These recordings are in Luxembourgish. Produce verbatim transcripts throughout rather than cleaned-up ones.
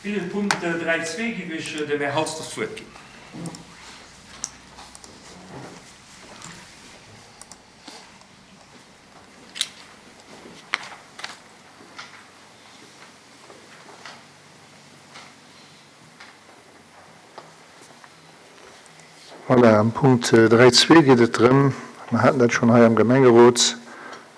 Fir de Punkt dräi zwee géif ech dem Här Halsdorf d'Wuert ginn. Voilà, am Punkt dräi zwee geet et drëm, mer haten dat schonn hei am Gemengerot,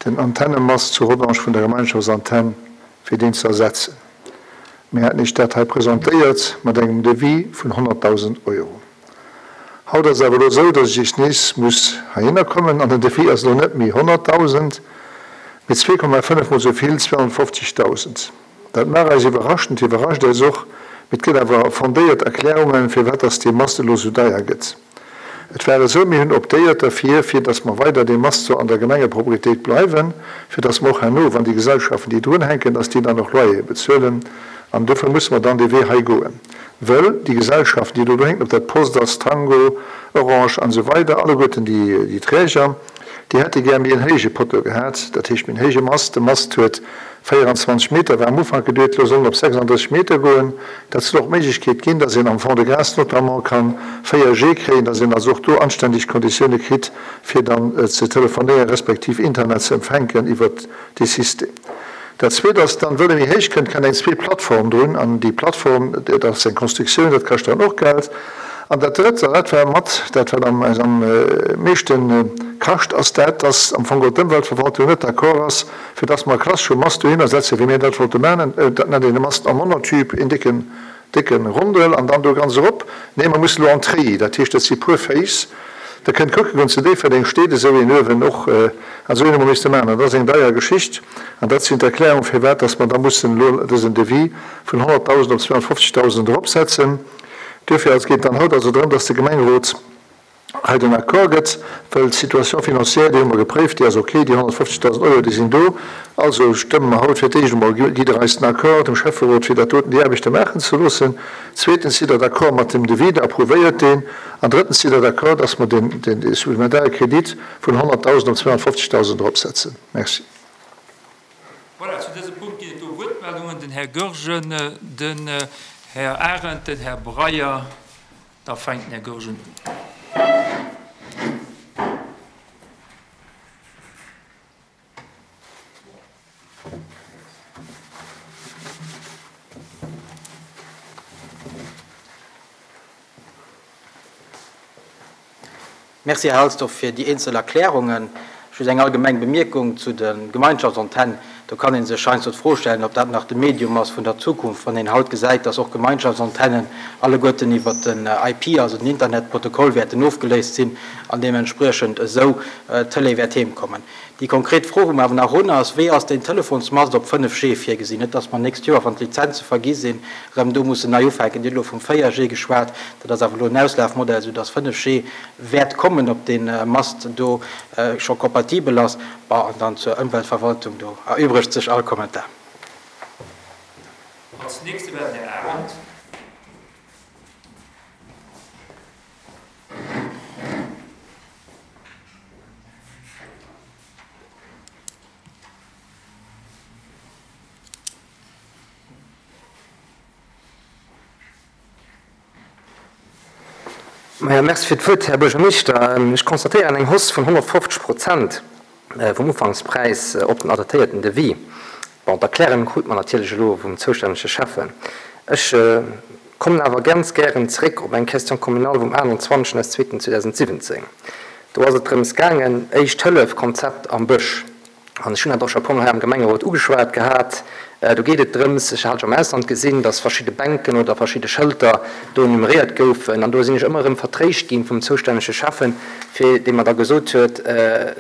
den Antennemast zu Rodange vun der Gemeinschaftsantenn, fir deen ze ersetzen. Mir haten Iech dat hei presentéiert mat engem Devis vun honnertdausend Euro. Haut ass et awer elo esou, datt ech Iech nees muss heihinner kommen an den Devis ass elo net méi honnertdausend, mee zwee Komma fënnef mol esou vill, zweehonnertfofzegdausend. Dat mag eis iwwerraschen, et iwwerrascht eis och, mee et gëtt awer fondéiert Erklärungen, firwat datt dee Mast elo esou deier gëtt. Et war esou, mir hunn optéiert derfir, fir datt mer weider dee Mast soll an der Gemengepropriétéit bleiwen, fir datt mer och herno, wann déi Gesellschaften, déi drunhänken, datt déi dann och Loyere bezuelen. An dofir musse mer dann dee Wee hei goen, wëll déi Gesellschaften, déi do drunhänken, ob dat d'Post ass, Tango, Orange an esou weider, alleguerten déi Träger, déi hätte gär méi en héije Poteau gehat, dat heescht méi en héije Mast. De Mast huet véieranzwanzeg Meter, war am Ufank geduet, elo soll en op sechsanddrësseg Meter goen. Dat soll och d'Méiglechkeet ginn, dass een am Fond-de-Gras notamment ka véier G kréien, dass een also och do anständeg Konditioune kritt, fir dann ze telefonéieren, respektiv Internet ze empfänken iwwert dee System. Dat Zweet ass dann, wëll e méi héich kënnt, kënnt eng zweet Plattform drun. An déi Plattform, dat ass eng Constructioun, dat kascht dann och Geld. An dat Drëtt, an dat war mat dat, wat eis am meeschte kascht, ass dat, dass am Fong geholl d'Ëmweltverwaltung net d'accord ass, fir dass mer e klassesche Mast dohinner setzen, wéi mir dat wollte maachen. Dat nennt een e Mast en Monotube, een décken, décke Rondel, an dann do ganz erop. Nee, mer mussen elo en Treillis, dat heescht, dat si puer Féiss. Der kënnt kucke goen, zu Déifferdeng steet esou een uewen och, an esou een hu mer misste maachen. An dat ass eng deier Geschicht. An dat sinn d'Erklärungen, firwat dass mer da mussen elo dësen Devis vun honnertdausend op zweehonnertfofzegdausend eropsetzen. Duerfir ass geet dann haut also drëm, dass de Gemengerot hei den Accord gëtt, well d'Situation financière, déi hu mer gepréift, déi ass ok, déi honnertfofzegdausend Euro, déi sinn do. Also stëmme mer haut fir d'éischt emol, gitt Der eis den Accord, dem Schäfferot, fir dat doten, déi Aarbechte maachen ze loossen. Zweetens, sidd Der d'accord mat dem Devis, Der approuvéiert deen. An drëttens, sidd Der d'accord, dass mer den, den, dee supplementare Kredit vun honnertdausend op zweehonnertfofzegdausend eropsetzen. Merci. Voilà, zu dësem Punkt ginn et do Wuertmeldungen. Den Här Goergen, den Här Arendt, den Här Breyer. Da fänkt den Här Goergen un. Merci, Här Halsdorf, fir déi eenzel Erklärungen. Just eng allgemeng Bemierkung zu de Gemeinschaftsantennen. Do kann ee sech heiansdo d'Fro stellen, ob dat nach de Medium ass vun der Zukunft, wann een haut gesäit, dass och Gemeinschaftsantennen alleguerten iwwert den I P, also den Internetprotokoll, wäerten ofgeléist sinn an deementspriechend esou d'Tëlee wäert heemkommen. Déi konkret Fro, wou mer awer nach hunn, ass, Wéi ass deen Telefonsmast op fënnef G virgesinn? Net dass mer nächst Joer, wann d'Lizenze vergi sinn, erëm do mussen nei ufänken. Dir hutt elo vum véier G geschwat. Dat ass awer elo en Auslafmodell, soudass fënnef G wäert kommen, ob dee Mast do scho kompatibel ass. Bon, an dann zur Ëmweltverwaltung, do erübregt sech all Kommentar. Als nächste war den Här Arendt. Maja, merci fir d'Wuert, Här Buergermeeschter. Ech constatéieren eng Hausse vun honnertfofzeg Prozent vum Ufankspräis op den adaptéierten Devis. Bon, d'Erklärung krut mer natierlech elo vum zoustännege Schäffen. Ech kommen awer ganz gären zeréck op eng Question communale vum aachtenzwanzegsten zweeten zweedausentsiwwenzéng. Do ass et drëms gaangen, Éischt-Hëllef-Konzept am Bësch. An ech hunn dat och scho e puermol hei am Gemengerot ugeschwat gehat. Do geet et drëms, ech hat scho am Ausland gesinn, dass verschidde Bänken oder verschidde Schëlter do numeréiert goufen. An do sinn ech ëmmer erëm vertréischt ginn vum zoustännege Schäffen, fir dee mer da gesot huet,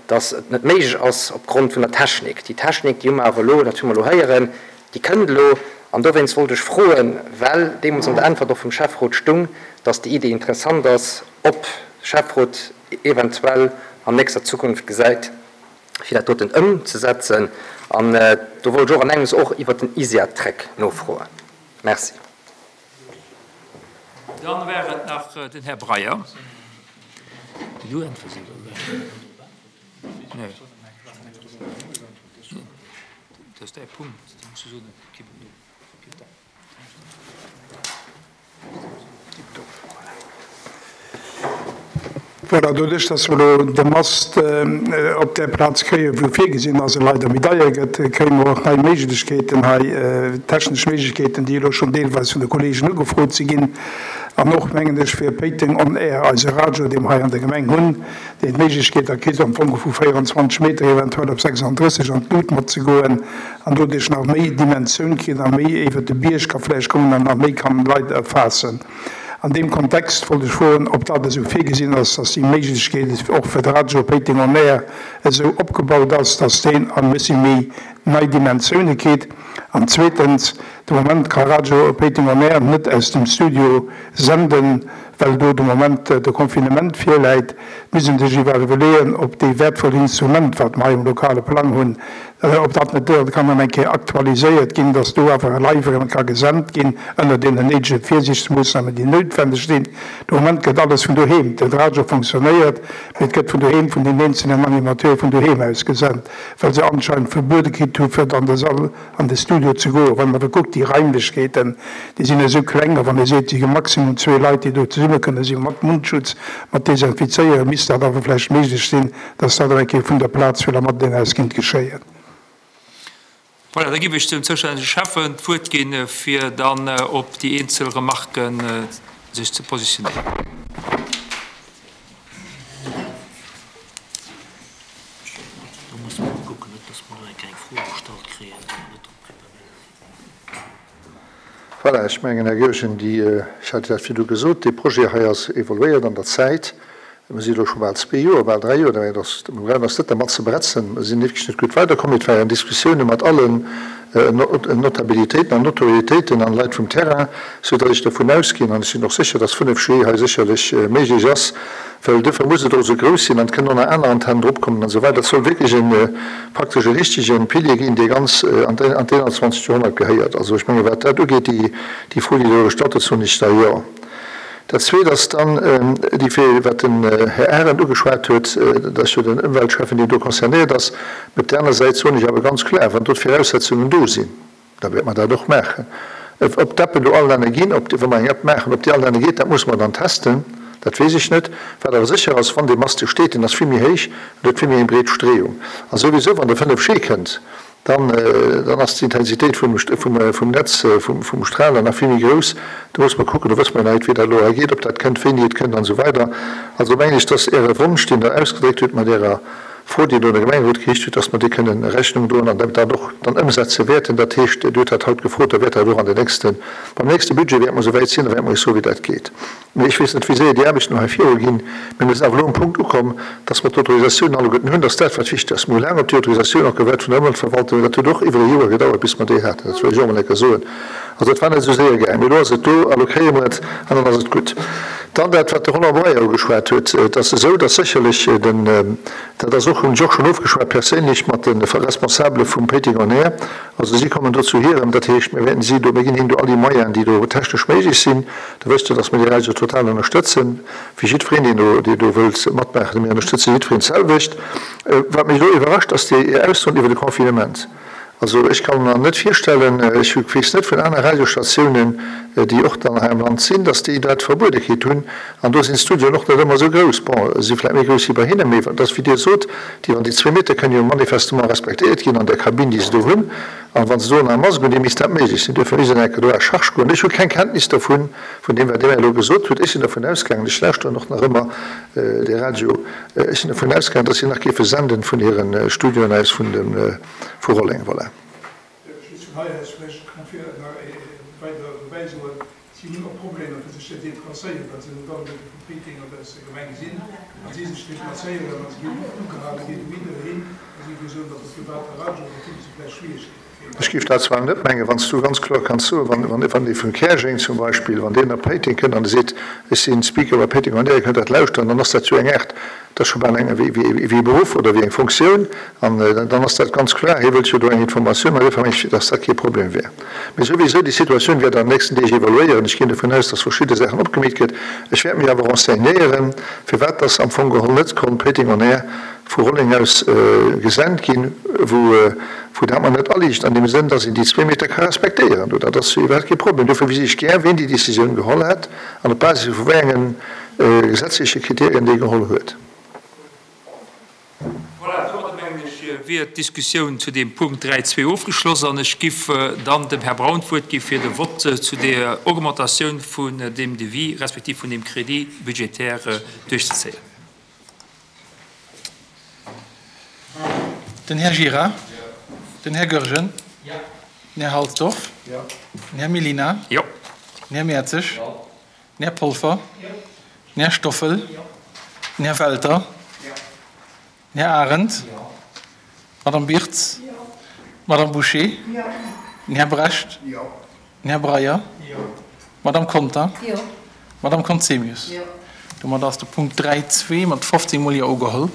dass et net méiglech ass opgrond vun der Technik. Déi Technik, déi hu mer awer elo, dat hu mer elo héieren, déi kënnt elo. An dowéinst wollt ech froen, well deemools an der Äntwert och vum Schäfferot stung, dass déi Idee interessant ass, ob de Schäfferot eventuell an nächster Zukunft gesäit, fir dat doten ëmzesetzen. An do wollt ech och an engems och iwwert den ISIA-Track nofroen. Merci. Dann war et nach den Här Breyer. Du äntwers oder? Nee. Dat ass däi Punkt. Du muss soen, gib et no. Voilà, doduerch, dass mer elo de Mast op där Plaz kréien, wou virgesinn ass, e leider méi deier gëtt, kréie mer och nei Méiglechkeeten hei, technesch Méiglechkeeten, déi elo schonn deelweis vun de Kolleegen ugefrot si ginn. An och, mengen ech, fir Péiteng on Air, eise Radio, dee mer hei an der Gemeng hunn, deen d'Méiglechkeet da kritt, am Fong vu véierundzwanzeg Meter eventuell op sechsanddrësseg an d'Lut matzegoen an doduerch nach méi Dimensioun kritt a méi iwwert de Bierg ka vläicht kommen an nach méi kann Leit erfaassen. An deem Kontext wollt ech froen, ob dat esou virgesinn ass, dass déi Méiglechkeet och fir de Radio Péiteng on Air esou opgebaut ass, dass deen e bëssi méi nei Dimensioune kritt. An zweetens, de Moment ka Radio Péiteng on Air net aus dem Studio senden, well do de Moment de Confinement virläit. Misst een sech iwwerleeën, ob dee wäertvoll Instrument, wat mer hei um lokale Plang hunn, ob dat net do kann nach eng Kéier aktualiséiert ginn, dass do awer live erëm ka gesent ginn, ënner deenen néidege Virsiichtsmoossnamen, déi noutwendeg sinn. De Moment gëtt alles vun doheem, de Radio fonctionnéiert, mee et gëtt vun doheem vun den eenzelnen Animateure vun doheem aus gesent, well se anscheinend verbuede kritt hu fir an de Sall, an de Studio ze goen. Wann een awer kuckt, déi Raimlechkeeten, déi sinn esou kleng, a wann ee seet, et si maximum zwee Leit, déi do zesumme kënne sinn, mat Mundschutz, mat Desinfizéieren, misst dat awer vläicht méiglech sinn, dass dat eng Kéier vun der Plaz fir mat deen aus kinnt geschéien. Voilà, da ginn ech dem zoustännege Schäffen d'Wuert ginn, fir dann op déi eenzel Remarken sech ze positionéieren. Do muss man kucken, net dass mer do eng kleng Fro gestallt kréien, déi mer net drop preparéiert sinn. Voilà, ech mengen, Här Goergen, déi, ech hat dat virdu gesot, dee Projet hei ass evoluéiert an der Zäit. Mir si elo scho bal zwee Joer, bal dräi Joer, dat ass, mir brauchen eis net dermat ze bretzen. Mir sinn wierklech net gutt weiderkomm. Et waren Diskussioune mat allen Notabilitéiten an Notoriétéiten an Leit vum Terrain, soudatt ech dovun ausginn, an ech sinn och sécher, datt fënnef G hei sécherlech méiglech ass, well duerfir muss et och esou grouss sinn an et kënnen och nach aner Antennen dropkommen an esou weider. Dat soll wierklech e praktesch e richtege Pilier ginn, dee ganz an d'einundzwanzegt Joerhonnert gehéiert. Also ech menge wat dat ugeet, déi, déi Fro, déi do gestallt huet, soen ech da jo. Dat Zweet ass dann déi Fro, wat den Här Arendt ugeschwat huet, dat ass jo den Ëmweltschäffen, deen do concernéiert ass. Op der aner Säit soen ech awer ganz kloer, wann do d'Viraussetzungen do sinn, da wäerte mer dat och maachen. Ob d'Appen do all Länner ginn, ob déi, wa mer eng App maachen, ob déi all Länner geet, dat muss mer dann testen, dat weess ech net. Wat awer sécher ass, wann dee Mast do steet, deen ass vill méi héich an huet vill méi eng breet Streeung. A souwisou, wann de fënnef G kënnt, dann, dann ass d'Intensitéit vum, vum, vum Netz, vum, vum Strahler nach vill méi grouss. Do muss mer kucken, do wësse mer net, wéi dat elo hei geet, ob dat kënnt, wéini et kënnt an esou weider. Also mengen ech, dass Äre Wonsch, deen Der ausgedréckt hutt mat Ärer Fro, déi Der un de Gemengerot geriicht hutt, dass mer déi kënnen Rechnung droen an dat och dann ëmsetze wäerten. Dat heescht, Dir hutt dat haut gefrot, da wäert dat och an den nächsten, beim nächste Budget wäerte mer esouwäit sinn, da wäerte mer Iech soen, wéi dat geet. Mee ech weess net, wéi séier déi Aarbechten hei viruginn. Mee mir sinn awer elo um Punkt ukomm, dass mer d'Autorisatioun alleguerten hunn, dass dat, wat wichteg ass. Mir hu laang op déi Autorisatioun och gewaart vun der Ëmweltverwaltung. Dat huet och iwwer e Joer gedauert, bis mer déi haten. Dat wëll ech och emol eng Kéier soen. Also dat war net esou séier gaangen. Mee elo ass et do, a lo kréie mer et, an dann ass et gutt. Dann dat, wat de Roland Breyer ugeschwat huet. Et ass esou, dass sécherlech den, dat ass och, hunn ech och schonn ofgeschwat perséinlech mat de Responsabele vum Péiteng On Air. Also si kommen do zu hirem, dat heescht, mir wäerten si do, mir ginn hinnen do all déi Moyenen, déi do technesch méiglech sinn. Da wësst Der, dass mir déi Radio total ënnerstëtzen, wéi jiddwereen, deen do, deen do wëllt matmaachen. Mir ënnerstëtze jiddwereen d'selwecht. Wat mech elo iwwerrascht, ass déi Aussoen iwwer de Confinement. Also ech kann mer net virstellen, ech weess net vun aner Radiostatiounen, déi och dann hei am Land sinn, dass déi dat verbuede kritt hunn. An do sinn d'Studioen och net ëmmer esou grouss. Bon, si vläicht méi grouss wéi bei hinnen, mee dat ass, wéi Dir sot, déi, wann déi zwee Meter kënnen jo manifestement respektéiert ginn an der Kabinn, déi se do hunn. An wa se do nach e Mask hunn, déi misst dat méiglech sinn. Duerfir misst een enke do à charge goen. Ech hu keng Kenntnis dervun, vun deem, wat Dir mir elo gesot hutt. Ech sinn dervun ausgaangen, ech lauschteren och nach ëmmer de Radio, ech sinn dervun ausgaangen, dass si nach géife senden vun hire Studioen aus vun dem, vu Rolleng. Voilà. Just vun hei aus vläicht kann fir nach weider dobäi soen, si hunn och Problemer fir sech ze deplacéieren, well se net alleguerte vu Péiteng oder aus der Gemeng sinn. Wa si sech deplacéieren, wa se ginn ugehale ginn, dohinner hin, da si wéi soen, datt de private Radio, da kritte se vläicht Schwieregkeeten. Ech géif dat zwar net mengen, wann s du ganz kloer kanns soen, wann, wann, wann ee vun Käerjeng zum Beispill, wann deen op Péiteng kënnt an e seet, ech sinn Speaker bei Péiteng on Air, Dir kënnt dat lauschteren, dann ass dat jo eng Aart, dat ass scho bal eng, wéi, wéi, wéi e Beruff oder wéi eng Fonctioun an dann ass dat ganz kloer, hie wëllt jo do eng Informatioun, an duerfir meng ech, dass dat kee Problem wär. Mee souwisou, déi Situatioun wäert an den nächsten Deeg evoluéieren. Ech ginn dovun aus, dass verschidde Saachen opgemeet gëtt. Ech wäert mech awer renseignéieren, firwat dass am Fong geholl net konnt Péiteng on Air vu Rolleng aus gesent ginn, wou, wou dat mer net aliicht an deem Sënn, dass een déi zwee Meter ka respektéieren. Do, dat ass jo iwwerhaapt kee Problem. Dofir wéisst ech gär, wien déi Décisioun geholl hätt an op Basis vu wéi engen gesetzleche Kriterien, déi e geholl huet. Voilà, domadder mengen ech wier d'Diskussioun zu deem Punkt dräi zwee ofgeschloss an ech giff dann dem Här Braun d'Wuert gi fir de Vott zu der Augmentatioun vun deem Devis respektiv vun deem Crédit budgétaire duerchzezéien. Den Här Gira. Den Här Goergen. Den Här Halsdorf. Den Här Mellina. Den Här Mertzig. Den Här Polfer. Den Här Stoffel. Den Här Welter. Den Här Arendt. D'Madame Birtz. D'Madame Bouché. Den Här Brecht. Den Här Breyer. D'Madame Conter. D'Madame Conzemius. Domat ass de Punkt dräi zwee mat fofzéng Mol Jo ugeholl.